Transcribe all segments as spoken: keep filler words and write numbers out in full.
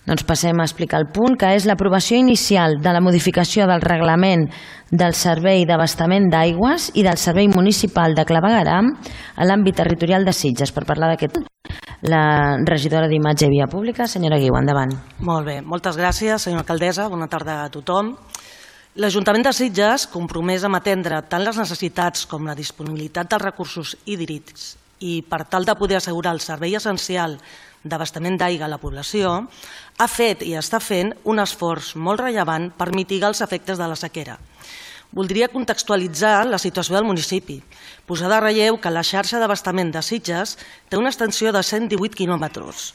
Doncs passem a explicar el punt, que és l'aprovació inicial de la modificació del reglament del Servei d'Abastament d'Aigües i del Servei Municipal de Clavegueram a l'àmbit territorial de Sitges. Per parlar d'aquest, la regidora d'Imatge i Via Pública, senyora Guiu, endavant. Molt bé, moltes gràcies, senyora alcaldessa. Bona tarda a tothom. L'Ajuntament de Sitges, compromès amb atendre tant les necessitats com la disponibilitat dels recursos hídrics i per tal de poder assegurar el servei essencial d'abastament d'aigua a la població, ha fet i està fent un esforç molt rellevant per mitigar els efectes de la sequera. Voldria contextualitzar la situació del municipi, posar de relleu que la xarxa d'abastament de Sitges té una extensió de cent divuit quilòmetres.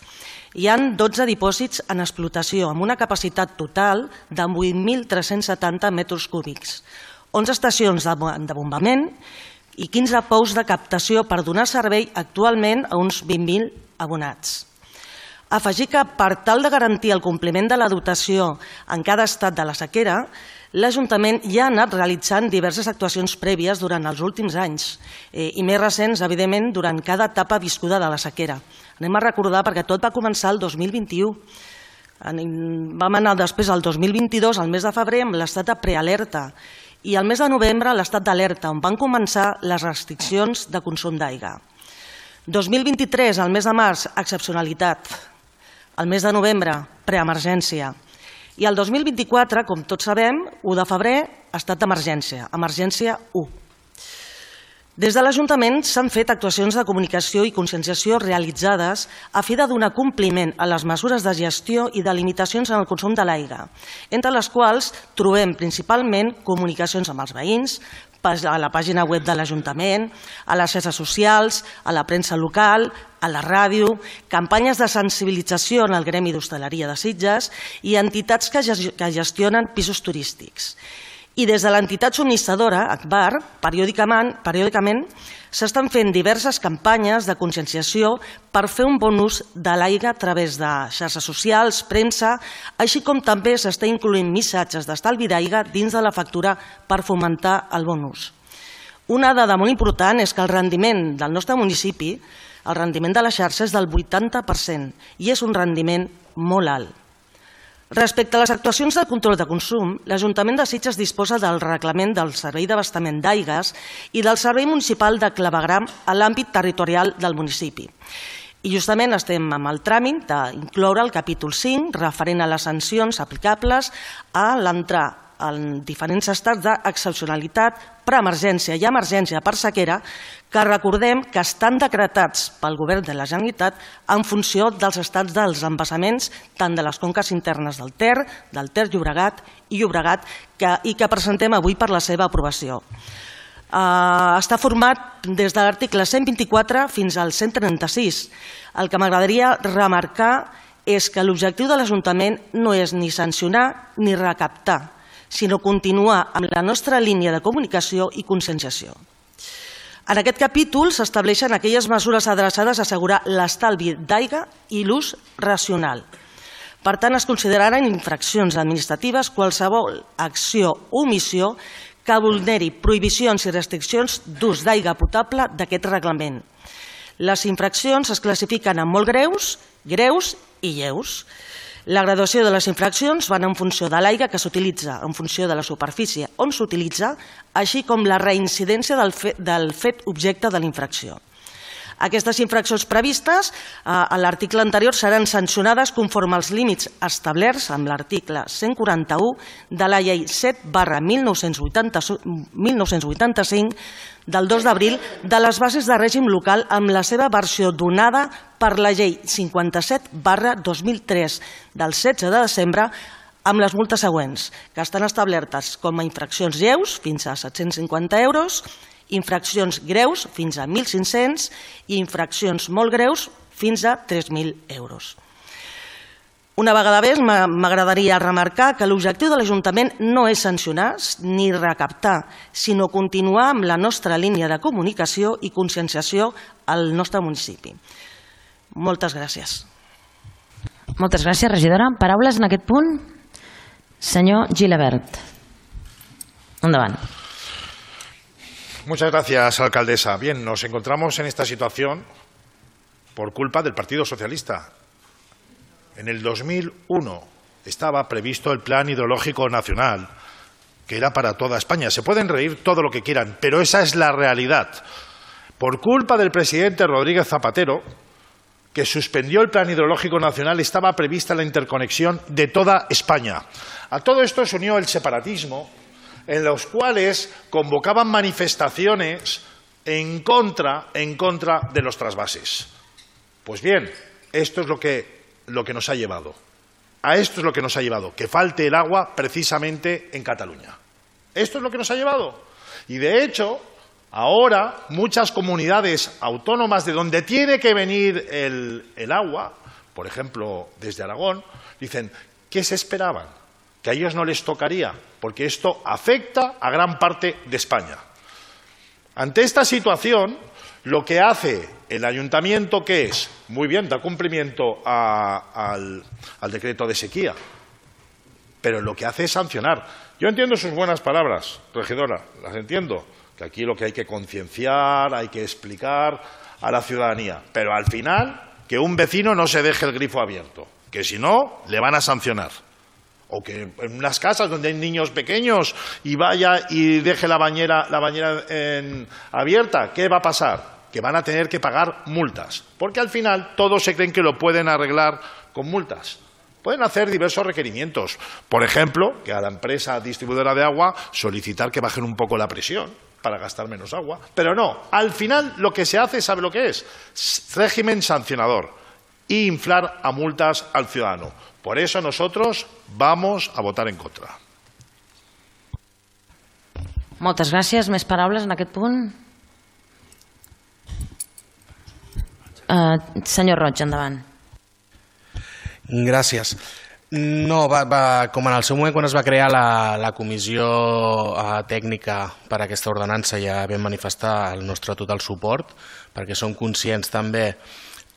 Hi ha dotze dipòsits en explotació amb una capacitat total de vuit mil tres-cents setanta metres cúbics, onze estacions de bombament i quinze pous de captació per donar servei actualment a uns vint mil abonats. Afegir que per tal de garantir el compliment de la dotació en cada estat de la sequera, l'Ajuntament ja ha anat realitzant diverses actuacions prèvies durant els últims anys i més recents, evidentment, durant cada etapa viscuda de la sequera. Anem a recordar perquè tot va començar el dos mil vint-i-u. Vam anar després al dos mil vint-i-dos, al mes de febrer, amb l'estat de prealerta i al mes de novembre l'estat d'alerta, on van començar les restriccions de consum d'aigua. dos mil vint-i-tres, al mes de març, excepcionalitat. El mes de novembre, preemergència. I el dos mil vint-i-quatre, com tots sabem, u de febrer, estat d'emergència, emergència u. Des de l'Ajuntament s'han fet actuacions de comunicació i conscienciació realitzades a fi de donar compliment a les mesures de gestió i de limitacions en el consum de l'aigua, entre les quals trobem principalment comunicacions amb els veïns, a la pàgina web de l'Ajuntament, a les xarxes socials, a la premsa local, a la ràdio, campanyes de sensibilització en el gremi d'hostaleria de Sitges i entitats que gestionen pisos turístics. I des de l'entitat subministradora, Akbar, periòdicament s'estan fent diverses campanyes de conscienciació per fer un bon ús de l'aigua a través de xarxes socials, premsa, així com també s'està incloent missatges d'estalvi d'aigua dins de la factura per fomentar el bon ús. Una dada molt important és que el rendiment del nostre municipi, el rendiment de la xarxa és del vuitanta per cent i és un rendiment molt alt. Respecte a les actuacions de control de consum, l'Ajuntament de Sitges disposa del reglament del Servei d'Abastament d'Aigües i del Servei Municipal de Clavegueram a l'àmbit territorial del municipi. I justament estem amb el tràmit d'incloure el capítol cinc referent a les sancions aplicables a l'entrar en diferents estats d'excepcionalitat, preemergència i emergència per sequera, que recordem que estan decretats pel Govern de la Generalitat en funció dels estats dels embassaments, tant de les conques internes del Ter, del Ter Llobregat i Llobregat, i que presentem avui per la seva aprovació. Està format des de l'article cent vint-i-quatre fins al cent trenta-sis. El que m'agradaria remarcar és que l'objectiu de l'Ajuntament no és ni sancionar ni recaptar, sinó continuar amb la nostra línia de comunicació i conscienciació. En aquest capítol s'estableixen aquelles mesures adreçades a assegurar l'estalvi d'aigua i l'ús racional. Per tant, es consideraran infraccions administratives qualsevol acció o omissió que vulneri prohibicions i restriccions d'ús d'aigua potable d'aquest reglament. Les infraccions es classifiquen en molt greus, greus i lleus. La graduació de les infraccions van en funció de l'aigua que s'utilitza, en funció de la superfície on s'utilitza, així com la reincidència del fet objecte de la infracció. Aquestes infraccions previstes a l'article anterior seran sancionades conforme als límits establerts amb l'article cent quaranta-u de la llei set barra mil nou-cents vuitanta-cinc del dos d'abril de les bases de règim local amb la seva versió donada per la llei cinquanta-set barra dos mil tres del setze de desembre amb les multes següents, que estan establertes com a infraccions lleus fins a set-cents cinquanta euros, infraccions greus fins a mil cinc-cents i infraccions molt greus fins a tres mil euros. Una vegada més, m'agradaria remarcar que l'objectiu de l'Ajuntament no és sancionar ni recaptar, sinó continuar amb la nostra línia de comunicació i conscienciació al nostre municipi. Moltes gràcies. Moltes gràcies, regidora. Paraules en aquest punt? Senyor Gilabert. Endavant. Muchas gracias, alcaldesa. Bien, nos encontramos en esta situación por culpa del Partido Socialista. en el dos mil uno estaba previsto el Plan Hidrológico Nacional, que era para toda España. Se pueden reír todo lo que quieran, pero esa es la realidad. Por culpa del presidente Rodríguez Zapatero, que suspendió el Plan Hidrológico Nacional, estaba prevista la interconexión de toda España. A todo esto se unió el separatismo, en los cuales convocaban manifestaciones en contra, en contra de los trasvases. Pues bien, esto es lo que, lo que nos ha llevado. A esto es lo que nos ha llevado, que falte el agua precisamente en Cataluña. Esto es lo que nos ha llevado. Y de hecho, ahora muchas comunidades autónomas de donde tiene que venir el, el agua, por ejemplo, desde Aragón, dicen, ¿qué se esperaban? Que a ellos no les tocaría, porque esto afecta a gran parte de España. Ante esta situación, lo que hace el ayuntamiento, ¿qué es? Muy bien, da cumplimiento a, al, al decreto de sequía, pero lo que hace es sancionar. Yo entiendo sus buenas palabras, regidora, las entiendo, que aquí lo que hay que concienciar, hay que explicar a la ciudadanía, pero al final que un vecino no se deje el grifo abierto, que si no le van a sancionar. O que en unas casas donde hay niños pequeños y vaya y deje la bañera, la bañera en, abierta, ¿qué va a pasar? Que van a tener que pagar multas, porque al final todos se creen que lo pueden arreglar con multas. Pueden hacer diversos requerimientos, por ejemplo, que a la empresa distribuidora de agua solicitar que bajen un poco la presión para gastar menos agua, pero no, al final lo que se hace, ¿sabe lo que es? Régimen sancionador e inflar a multas al ciudadano. Por eso nosotros vamos a votar en contra. Moltes gràcies. Més paraules en aquest punt? Uh, senyor Roig, endavant. Gràcies. No, va, va, com en el seu moment quan es va crear la, la comissió uh, tècnica per a aquesta ordenança, ja vam manifestar el nostre total suport, perquè som conscients també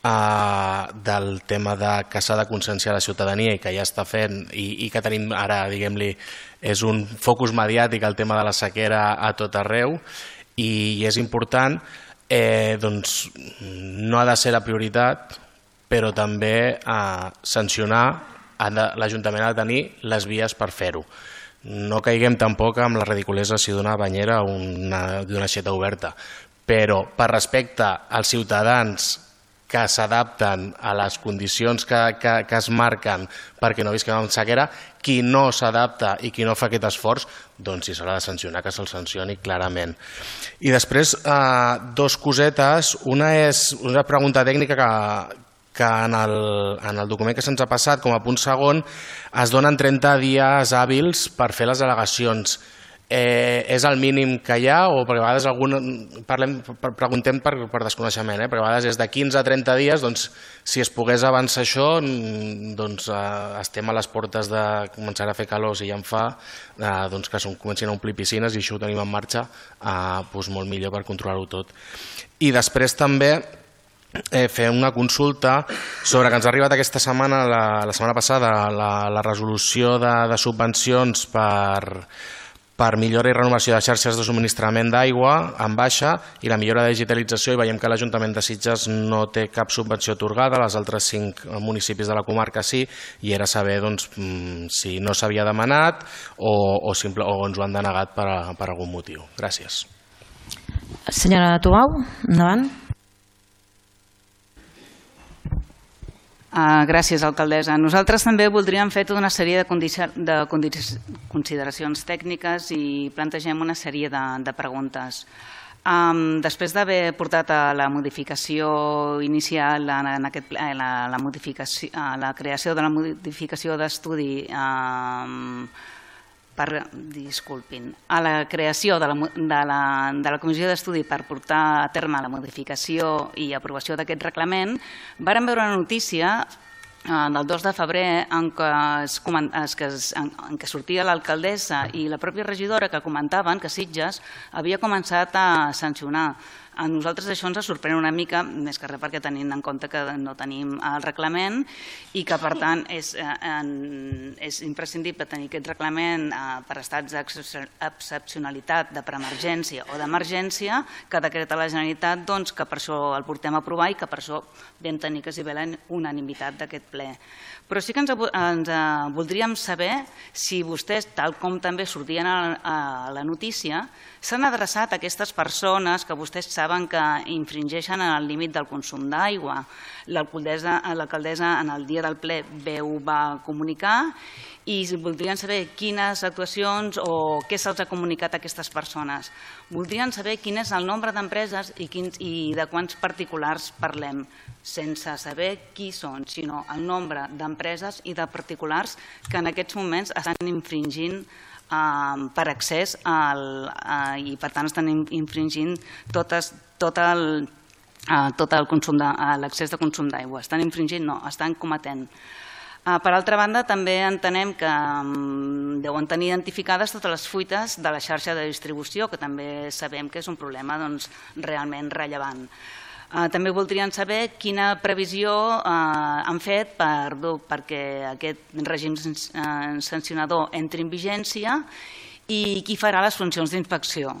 Uh, del tema de que s'ha de conscienciar la ciutadania i que ja està fent i, i que tenim ara, diguem-li, és un focus mediàtic el tema de la sequera a tot arreu i, i és important, eh, doncs no ha de ser la prioritat, però també uh, sancionar, l'Ajuntament ha de tenir les vies per fer-ho. No caiguem tampoc amb la ridiculesa si d'una banyera o d'una aixeta oberta, però per respecte als ciutadans que s'adapten a les condicions que, que, que es marquen perquè no visquem en sequera, qui no s'adapta i qui no fa aquest esforç, doncs si s'ha de sancionar, que se'l sancioni clarament. I després, eh, dos cosetes. Una és una pregunta tècnica que, que en, el, en el document que se'ns ha passat, com a punt segon, es donen trenta dies hàbils per fer les al·legacions. Eh, és el mínim que hi ha o perquè a vegades algun, parlem, preguntem per, per desconeixement, eh? Perquè a vegades és de quinze a trenta dies, doncs si es pogués avançar això, doncs eh, estem a les portes de començar a fer calor, si ja en fa, eh, doncs que comencin a omplir piscines i això ho tenim en marxa, eh, doncs molt millor per controlar-ho tot. I després també Eh, fer una consulta sobre que ens ha arribat aquesta setmana, la, la setmana passada, la, la resolució de, de subvencions per per millora i renovació de xarxes de subministrament d'aigua en baixa i la millora de digitalització, i veiem que l'Ajuntament de Sitges no té cap subvenció atorgada, les altres cinc municipis de la comarca sí, i era saber doncs, si no s'havia demanat o, o, simple, o ens ho han denegat per, per algun motiu. Gràcies. Senyora Tubau, endavant. Uh, gràcies, alcaldessa. Nosaltres també voldríem fer tota una sèrie de, de consideracions tècniques i plantegem una sèrie de, de preguntes. Um, després d'haver portat a la modificació inicial, en, en aquest, a la, la, modificació, a la creació de la modificació d'estudi um, per, disculpin, a la creació de la, de la, de la comissió d'estudi per portar a terme la modificació i aprovació d'aquest reglament, vàrem veure una notícia del dos de febrer en què, es, que es, en, en què sortia l'alcaldessa i la pròpia regidora que comentaven que Sitges havia començat a sancionar A nosaltres això ens sorprèn una mica, més que res perquè tenint en compte que no tenim el reglament i que, per tant, és, eh, és imprescindible tenir aquest reglament eh, per estats d'excepcionalitat, de preemergència o d'emergència, que decreta la Generalitat, doncs, que per això el portem a aprovar i que per això vam tenir que s'hi ve la unanimitat d'aquest ple. Però sí que ens, ens eh, voldríem saber si vostès, tal com també sortien a, a la notícia, s'han adreçat a aquestes persones que vostès saben que infringeixen el límit del consum d'aigua. L'alcaldessa en el dia del ple ho va comunicar i voldrien saber quines actuacions o què se'ls ha comunicat a aquestes persones. Voldrien saber quin és el nombre d'empreses i, i de quants particulars parlem, sense saber qui són, sinó el nombre d'empreses i de particulars que en aquests moments estan infringint eh, per accés al, eh, i per tant estan infringint totes, tot el, eh, tot el consum de, l'accés de consum d'aigua. Estan infringint? No, estan cometent. Per altra banda, també entenem que deuen tenir identificades totes les fuites de la xarxa de distribució, que també sabem que és un problema doncs, realment rellevant. També voldrien saber quina previsió han fet per, perquè aquest règim sancionador entri en vigència i qui farà les funcions d'inspecció.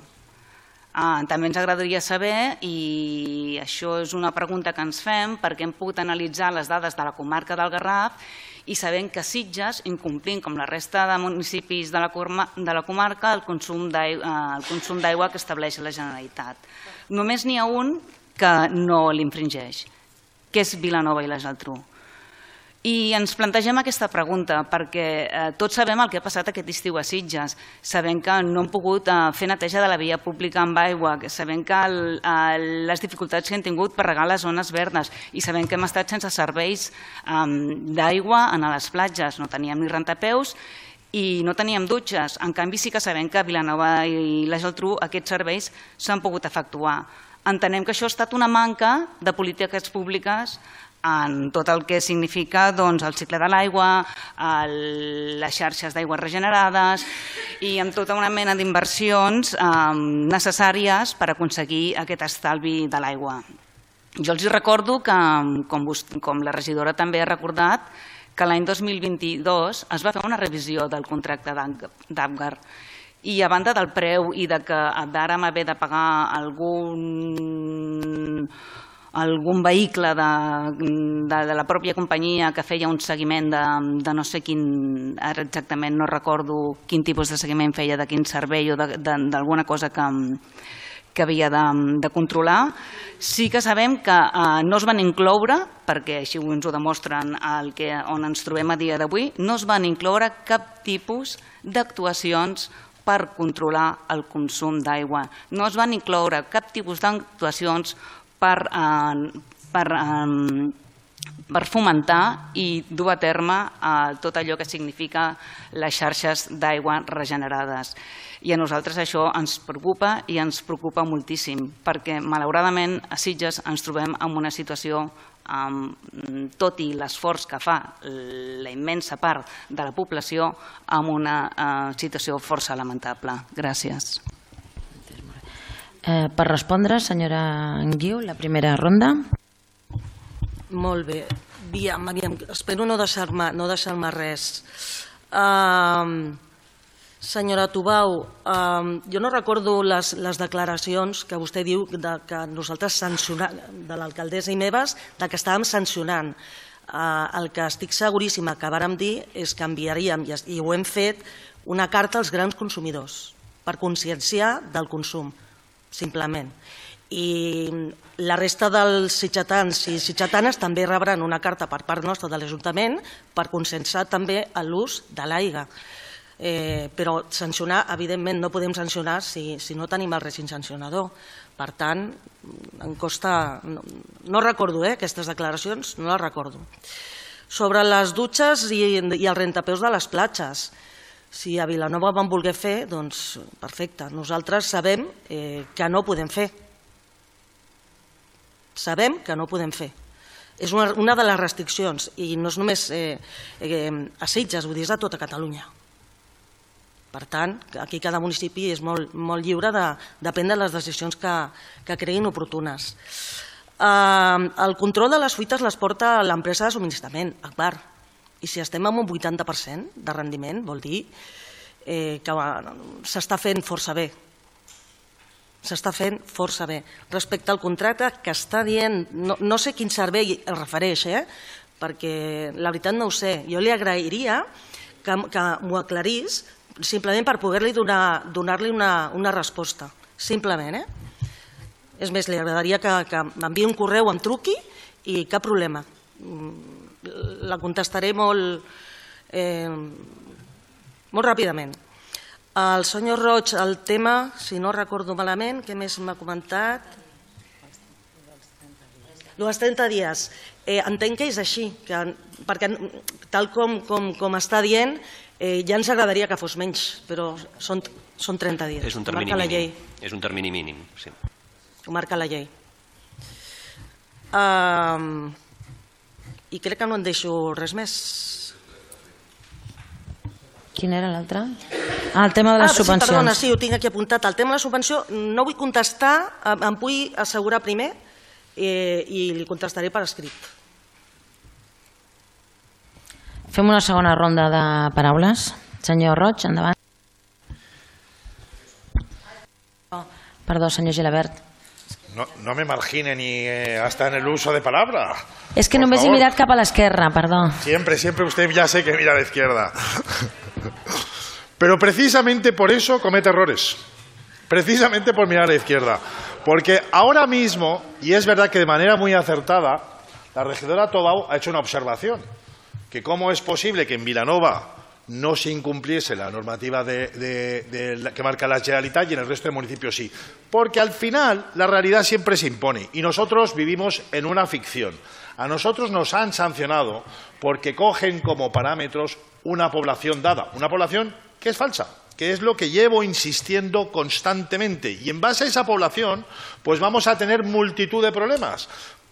També ens agradaria saber, i això és una pregunta que ens fem, perquè hem pogut analitzar les dades de la comarca del Garraf i sabem que Sitges, incomplint com la resta de municipis de la comarca, el consum d'aigua que estableix la Generalitat. Només n'hi ha un que no l'infringeix, que és Vilanova i la Geltrú. I ens plantegem aquesta pregunta perquè tots sabem el que ha passat aquest estiu a Sitges. Sabem que no hem pogut fer neteja de la via pública amb aigua, sabem que les dificultats que hem tingut per regar les zones verdes i sabem que hem estat sense serveis d'aigua a les platges. No teníem ni rentapeus i no teníem dutxes. En canvi, sí que sabem que a Vilanova i la Geltrú aquests serveis s'han pogut efectuar. Entenem que això ha estat una manca de polítiques públiques en tot el que significa el cicle de l'aigua, les xarxes d'aigües regenerades i amb tota una mena d'inversions necessàries per aconseguir aquest estalvi de l'aigua. Jo els recordo que, com la regidora també ha recordat, que l'any dos mil vint-i-dos es va fer una revisió del contracte d'Apgar i a banda del preu i que vàrem haver de pagar algun algun vehicle de la pròpia companyia que feia un seguiment de no sé quin, ara exactament no recordo quin tipus de seguiment feia, de quin servei o d'alguna cosa que havia de controlar. Sí que sabem que no es van incloure, perquè així ens ho demostren on ens trobem a dia d'avui, no es van incloure cap tipus d'actuacions per controlar el consum d'aigua. No es van incloure cap tipus d'actuacions per fomentar i dur a terme tot allò que significa les xarxes d'aigua regenerades. I a nosaltres això ens preocupa i ens preocupa moltíssim, perquè malauradament a Sitges ens trobem en una situació, tot i l'esforç que fa la immensa part de la població, en una situació força lamentable. Gràcies. Per respondre, senyora Anguiu, la primera ronda. Molt bé. Espero no deixar-me res. Senyora Tubau, jo no recordo les declaracions que vostè diu que nosaltres sancionem, de l'alcaldessa i meves, que estàvem sancionant. El que estic seguríssima que vàrem dir és que enviaríem, i ho hem fet, una carta als grans consumidors per conscienciar del consum, simplement. I la resta dels sitgetans i sitgetanes també rebran una carta per part nostra de l'Ajuntament per conscienciar també l'ús de l'aigua. Però sancionar, evidentment, no podem sancionar si no tenim el règim sancionador. Per tant, em costa... No recordo aquestes declaracions, no les recordo. Sobre les dutxes i els rentapeus de les platges, si a Vilanova ho vam voler fer, doncs perfecte. Nosaltres sabem que no ho podem fer. Sabem que no ho podem fer. És una de les restriccions, i no és només a Sitges, vull dir, és a tota Catalunya. Per tant, aquí cada municipi és molt lliure de prendre les decisions que creguin oportunes. El control de les fuites les porta l'empresa de subministrament, Agbar, i si estem en un vuitanta per cent de rendiment vol dir que s'està fent força bé. S'està fent força bé. Respecte al contracte que està dient, no sé quin servei es refereix, perquè la veritat no ho sé. Jo li agrairia que m'ho aclarís simplement per poder-li donar-li una resposta. Simplement, eh? És més, li agradaria que m'enviï un correu, em truqui i cap problema. La contestaré molt molt ràpidament. El senyor Roig, el tema, si no recordo malament, què més m'ha comentat? Els trenta dies. Entenc que és així, perquè tal com està dient, ja ens agradaria que fos menys, però són trenta dies. És un termini mínim. És un termini mínim, sí. Ho marca la llei. I crec que no en deixo res més. Quin era l'altre? Ah, el tema de les subvencions. Perdona, sí, ho tinc aquí apuntat. El tema de la subvenció no vull contestar, em vull assegurar primer i li contestaré per escrit. Fem una segona ronda de paraules. Senyor Roig, endavant. Perdó, senyor Gilabert. No me margine ni hasta en el uso de palabra. Es que només he mirat cap a l'esquerra, perdó. Siempre, siempre usted ya sé que mira a la izquierda. Pero precisamente por eso comete errores. Precisamente por mirar a la izquierda. Porque ahora mismo, y es verdad que de manera muy acertada, la regidora Tobau ha hecho una observación. Que cómo es posible que en Vilanova no se incumpliese la normativa de, de, de, que marca la Generalitat y en el resto de municipios sí. Porque al final la realidad siempre se impone y nosotros vivimos en una ficción. A nosotros nos han sancionado porque cogen como parámetros una población dada, una población que es falsa, que es lo que llevo insistiendo constantemente. Y en base a esa población, pues vamos a tener multitud de problemas.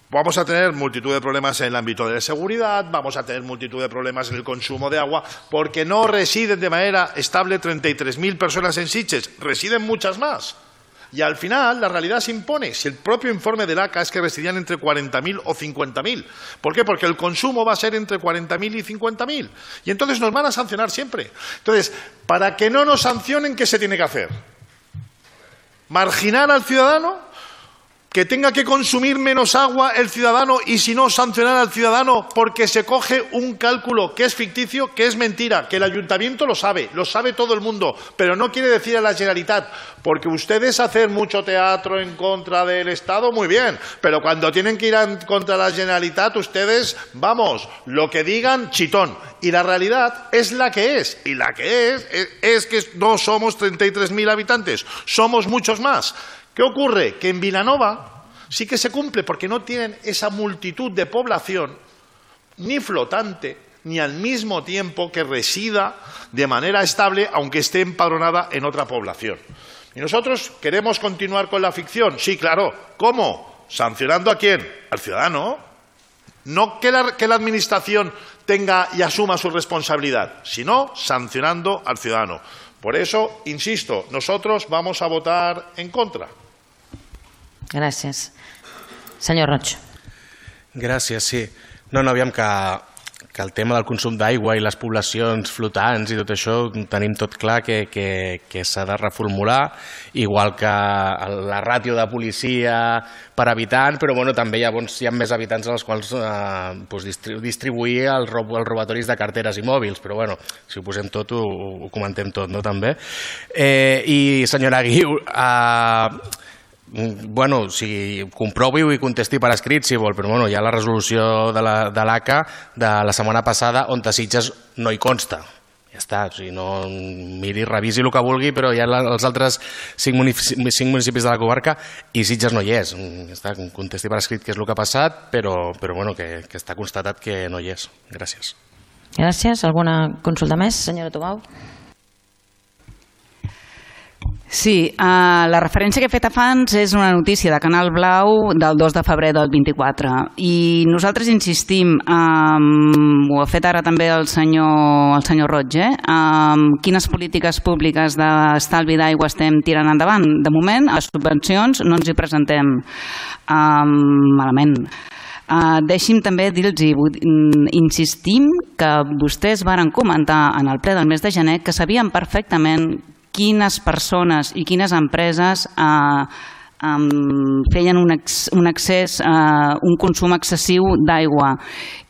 Vamos a tener multitud de problemas en el ámbito de la seguridad, vamos a tener multitud de problemas en el consumo de agua, porque no residen de manera estable treinta y tres mil personas en Sitges, residen muchas más. Y al final la realidad se impone. Si el propio informe del A C A es que residían entre cuarenta mil o cincuenta mil. ¿Por qué? Porque el consumo va a ser entre cuarenta mil y cincuenta mil. Y entonces nos van a sancionar siempre. Entonces, para que no nos sancionen, ¿qué se tiene que hacer? ¿Marginar al ciudadano? Que tenga que consumir menos agua el ciudadano y si no sancionar al ciudadano porque se coge un cálculo que es ficticio, que es mentira, que el ayuntamiento lo sabe, lo sabe todo el mundo, pero no quiere decir a la Generalitat, porque ustedes hacen mucho teatro en contra del Estado, muy bien, pero cuando tienen que ir en contra de la Generalitat, ustedes, vamos, lo que digan, chitón. Y la realidad es la que es, y la que es es, es que no somos treinta y tres mil habitantes, somos muchos más. ¿Qué ocurre? Que en Vilanova sí que se cumple porque no tienen esa multitud de población ni flotante ni al mismo tiempo que resida de manera estable aunque esté empadronada en otra población. ¿Y nosotros queremos continuar con la ficción? Sí, claro. ¿Cómo? ¿Sancionando a quién? Al ciudadano. No que la, que la administración tenga y asuma su responsabilidad, sino sancionando al ciudadano. Por eso, insisto, nosotros vamos a votar en contra. Gràcies. Senyor Roig. Gràcies, sí. No, no, aviam que, que el tema del consum d'aigua i les poblacions flotants i tot això tenim tot clar que, que, que s'ha de reformular, igual que la ràtio de policia per habitant, però bueno, també hi ha, bons, hi ha més habitants als quals eh, doncs distribuir els, rob, els robatoris de carteres i mòbils, però bueno, si ho posem tot ho, ho comentem tot, no, també. Eh, I senyora Guiu, eh, bueno, si comprovi-ho i contesti per escrit si vol, però bueno, hi ha la resolució de l'A C A de la setmana passada on a Sitges no hi consta. Ja està, o sigui, no miri, revisi el que vulgui, però hi ha els altres cinc municipis de la comarca i Sitges no hi és. Ja està, contesti per escrit què és el que ha passat, però, però bueno, que, que està constatat que no hi és. Gràcies. Gràcies. Alguna consulta més, senyora Tobau? Sí, uh, la referència que he fet abans és una notícia de Canal Blau del dos de febrer del vint-i-quatre i nosaltres insistim, um, ho ha fet ara també el senyor, el senyor Roig, eh? um, quines polítiques públiques d'estalvi d'aigua estem tirant endavant. De moment, a les subvencions no ens hi presentem um, malament. Uh, deixi'm també dir-los, insistim que vostès varen comentar en el ple del mes de gener que sabien perfectament quines persones i quines empreses eh, um, feien un, ex, un accés, uh, un consum excessiu d'aigua.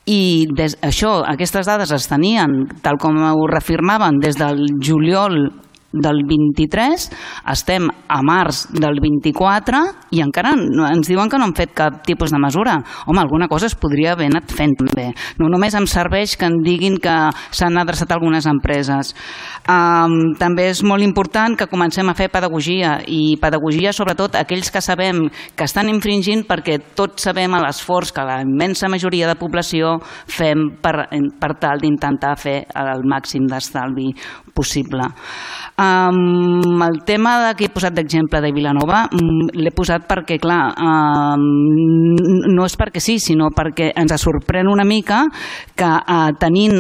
I des, això, aquestes dades es tenien, tal com ho reafirmaven, des del juliol del vint-i-tres, estem a març del vint-i-quatre i encara ens diuen que no han fet cap tipus de mesura. Home, alguna cosa es podria haver anat fent també. No només em serveix que em diguin que s'han adreçat algunes empreses. Um, també és molt important que comencem a fer pedagogia i pedagogia sobretot aquells que sabem que estan infringint, perquè tots sabem l'esforç que la immensa majoria de població fem per, per tal d'intentar fer el màxim d'estalvi possible. Um, el tema de que he posat d'exemple de Vilanova um, l'he posat perquè, clar, um, no és perquè sí, sinó perquè ens sorprèn una mica que uh, tenint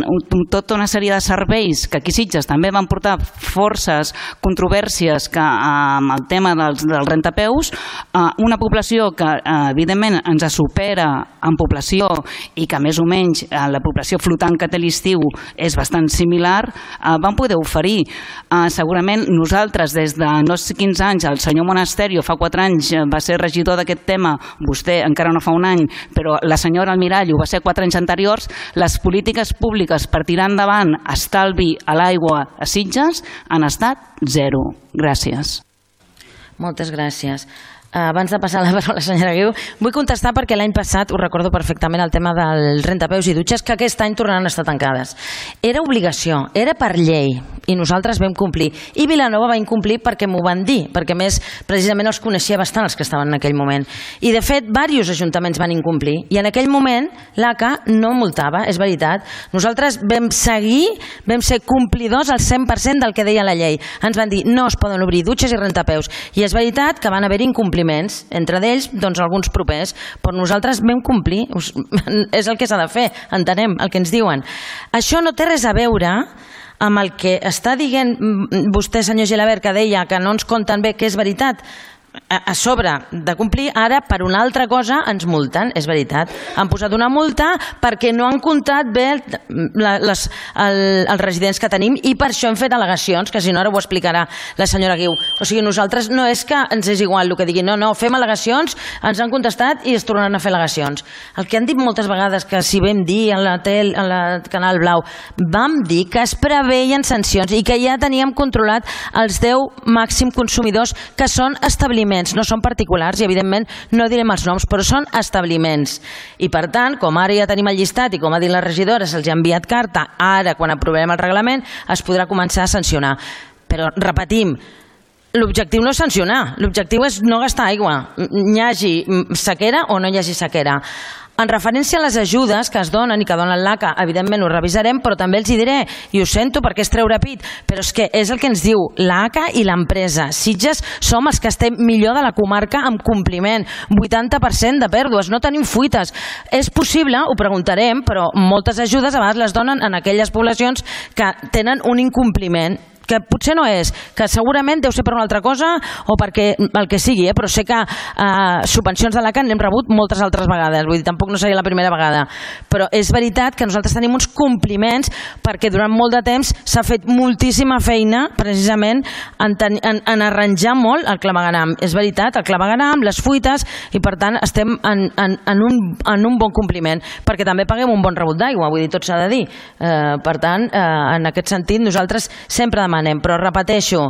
tota una sèrie de serveis que aquí a Sitges també van portar forces controvèrsies que amb um, el tema dels, dels rentapeus, uh, una població que uh, evidentment ens supera en població i que més o menys uh, la població flotant que té l'estiu és bastant similar, uh, van poder oferir. Uh, segurament nosaltres des de no sé quins anys, el senyor Monasterio fa quatre anys va ser regidor d'aquest tema, vostè encara no fa un any, però la senyora Almirall ho va ser quatre anys anteriors, les polítiques públiques per tirar endavant estalvi a l'aigua a Sitges han estat zero. Gràcies. Moltes gràcies. Abans de passar la paraula a la senyora Guiu, vull contestar perquè l'any passat, ho recordo perfectament, el tema del rentapeus i dutxes, que aquest any tornaran a estar tancades. Era obligació, era per llei, i nosaltres vam complir. I Vilanova va incomplir perquè m'ho van dir, perquè més precisament els coneixia bastant els que estaven en aquell moment. I de fet, diversos ajuntaments van incomplir, i en aquell moment l'A C A no multava, és veritat. Nosaltres vam seguir, vam ser complidors al cent per cent del que deia la llei. Ens van dir, no es poden obrir dutxes i rentapeus. I és veritat que van haver incompliments, entre d'ells doncs, alguns propers, però nosaltres vam complir, és el que s'ha de fer, entenem el que ens diuen. Això no té res a veure amb el que està dient vostè, senyor Gilabert, que deia que no ens compten bé, que és veritat. A sobre de complir, ara per una altra cosa ens multen, és veritat. Han posat una multa perquè no han comptat bé les, el, els residents que tenim i per això hem fet al·legacions, que si no ara ho explicarà la senyora Guiu. O sigui, nosaltres no és que ens és igual el que diguin, no, no, fem al·legacions, ens han contestat i es tornaran a fer al·legacions. El que han dit moltes vegades, que si vam dir a la tel, a la Canal Blau, vam dir que es preveien sancions i que ja teníem controlat els deu màxim consumidors que són establiments, no són particulars i evidentment no direm els noms, però són establiments. I per tant, com ara ja tenim el llistat i com ha dit la regidora, se'ls ha enviat carta, ara quan aprovem el reglament es podrà començar a sancionar. Però repetim, l'objectiu no és sancionar, l'objectiu és no gastar aigua, hi hagi sequera o no hi hagi sequera. En referència a les ajudes que es donen i que donen l'A C A, evidentment ho revisarem, però també els hi diré, i ho sento perquè és treure pit, però és que és el que ens diu l'A C A i l'empresa. Sitges som els que estem millor de la comarca amb compliment, vuitanta per cent de pèrdues, no tenim fuites. És possible, ho preguntarem, però moltes ajudes a vegades les donen en aquelles poblacions que tenen un incompliment, que potser no és, que segurament deu ser per una altra cosa o perquè el que sigui, eh? Però sé que eh, subvencions de l'A C A n'hem rebut moltes altres vegades, vull dir, tampoc no seria la primera vegada, però és veritat que nosaltres tenim uns compliments perquè durant molt de temps s'ha fet moltíssima feina precisament en, ten, en, en arranjar molt el clavegueram. És veritat, el clavegueram, les fuites, i per tant estem en, en, en, un, en un bon compliment, perquè també paguem un bon rebut d'aigua, vull dir, tot s'ha de dir. Eh, per tant, eh, en aquest sentit, nosaltres sempre demanem, però repeteixo,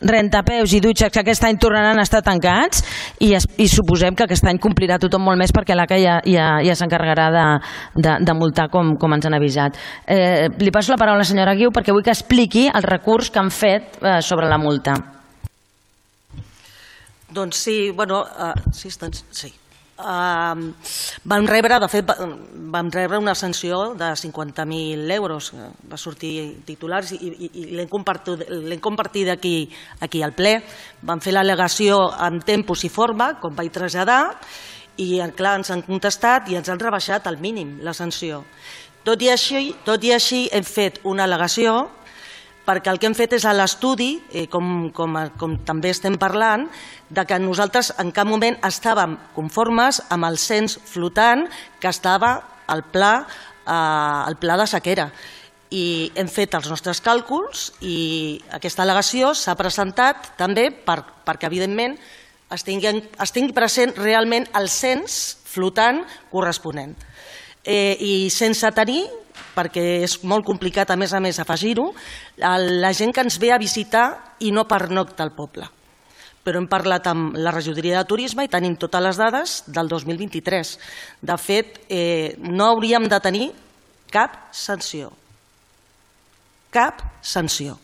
rentapeus i dutxes que aquest any tornaran a estar tancats i, es, i suposem que aquest any complirà tothom molt més perquè l'A C A ja, ja, ja s'encarregarà de, de, de multar com, com ens han avisat. Eh, li passo la paraula a la senyora Guiu perquè vull que expliqui el recurs que han fet eh, sobre la multa. Doncs sí, bueno, uh, sí, doncs, sí. vam rebre, de fet, vam rebre una sanció de cinquanta mil euros, va sortir titulars i, i, i l'hem compartit, l'hem compartit aquí, aquí al ple. Vam fer l'al·legació en tempos i forma, com vaig traslladar, i clar, ens han contestat i ens han rebaixat al mínim la sanció. Tot i així, tot i així hem fet una al·legació perquè el que hem fet és a l'estudi, com, com, com també estem parlant, de que nosaltres en cap moment estàvem conformes amb el cens flotant que estava al pla, eh, al pla de sequera. I hem fet els nostres càlculs i aquesta al·legació s'ha presentat també per, perquè, evidentment, es tingui, es tingui present realment el cens flotant corresponent. Eh, I sense tenir, perquè és molt complicat a més a més afegir-ho, la gent que ens ve a visitar i no pernocta al poble. Però hem parlat amb la regidoria de turisme i tenim totes les dades del dos mil vint-i-tres. De fet, eh, no hauríem de tenir cap sanció. Cap sanció.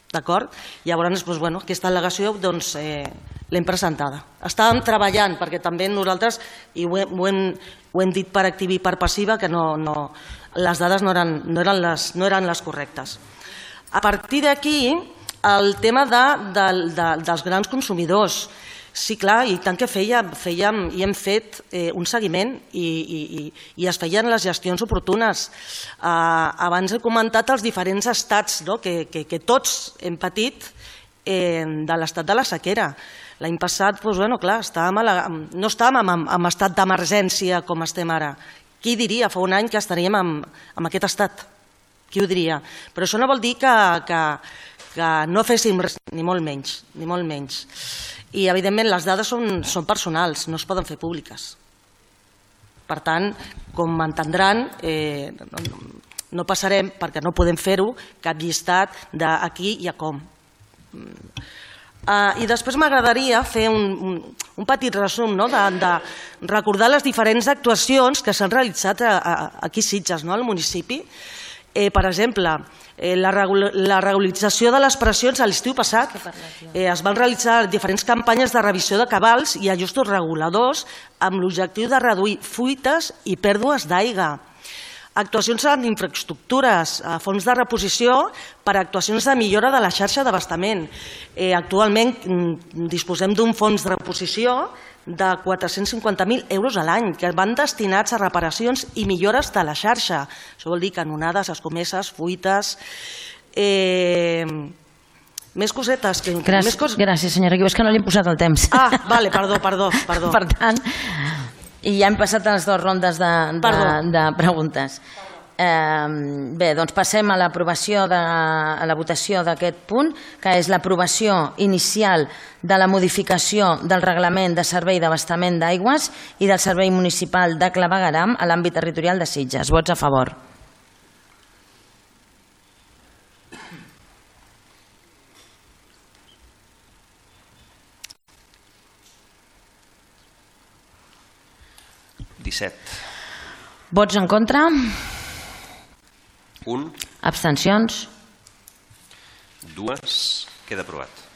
D'acord? Llavors, doncs, bueno, aquesta al·legació doncs, eh, l'hem presentada. Estàvem treballant, perquè també nosaltres, i ho hem, ho hem, ho hem dit per activa i per passiva, que no, no, les dades no eren, no, eren les, no eren les correctes. A partir d'aquí, el tema de, de, de, dels grans consumidors. Sí, clar, i tant que fèiem, fèiem i hem fet eh, un seguiment i, i, i es feien les gestions oportunes. Eh, abans he comentat els diferents estats, no?, que, que, que tots hem patit eh, de l'estat de la sequera. L'any passat, doncs, bueno, clar, estàvem a la, no estàvem en, en estat d'emergència com estem ara. Qui diria fa un any que estaríem en, en aquest estat? Qui ho diria? Però això no vol dir que, que, que no féssim res, ni molt menys, ni molt menys. I, evidentment, les dades són, són personals, no es poden fer públiques. Per tant, com m'entendran, eh, no, no passarem, perquè no podem fer-ho, cap llistat d'aquí i a com. Uh, I després m'agradaria fer un, un, un petit resum, no?, de, de recordar les diferents actuacions que s'han realitzat a, a, aquí a Sitges, no?, al municipi. Eh, per exemple, eh, la, regula la regularització de les pressions a l'estiu passat. Eh, es van realitzar diferents campanyes de revisió de cabals i ajustos reguladors amb l'objectiu de reduir fuites i pèrdues d'aigua. Actuacions en infraestructures, a fons de reposició per a actuacions de millora de la xarxa d'abastament. Eh, actualment disposem d'un fons de reposició de quatre-cents cinquanta mil euros a l'any, que van destinats a reparacions i millores de la xarxa. Això vol dir canonades, escomeses, fuites... Eh... Més cosetes. Que... Gràcies, més cos... gràcies, senyora Guiu, és que no li hem posat el temps. Ah, vale, perdó, perdó, perdó. Per tant, i ja hem passat a les dues rondes de, de, de preguntes. Eh, bé, doncs passem a l'aprovació de a la votació d'aquest punt, que és l'aprovació inicial de la modificació del reglament de servei d'abastament d'aigües i del servei municipal de clavegueram a l'àmbit territorial de Sitges. Vots a favor. disset. Vots en contra? Un. Abstencions? Dues. Queda aprovat.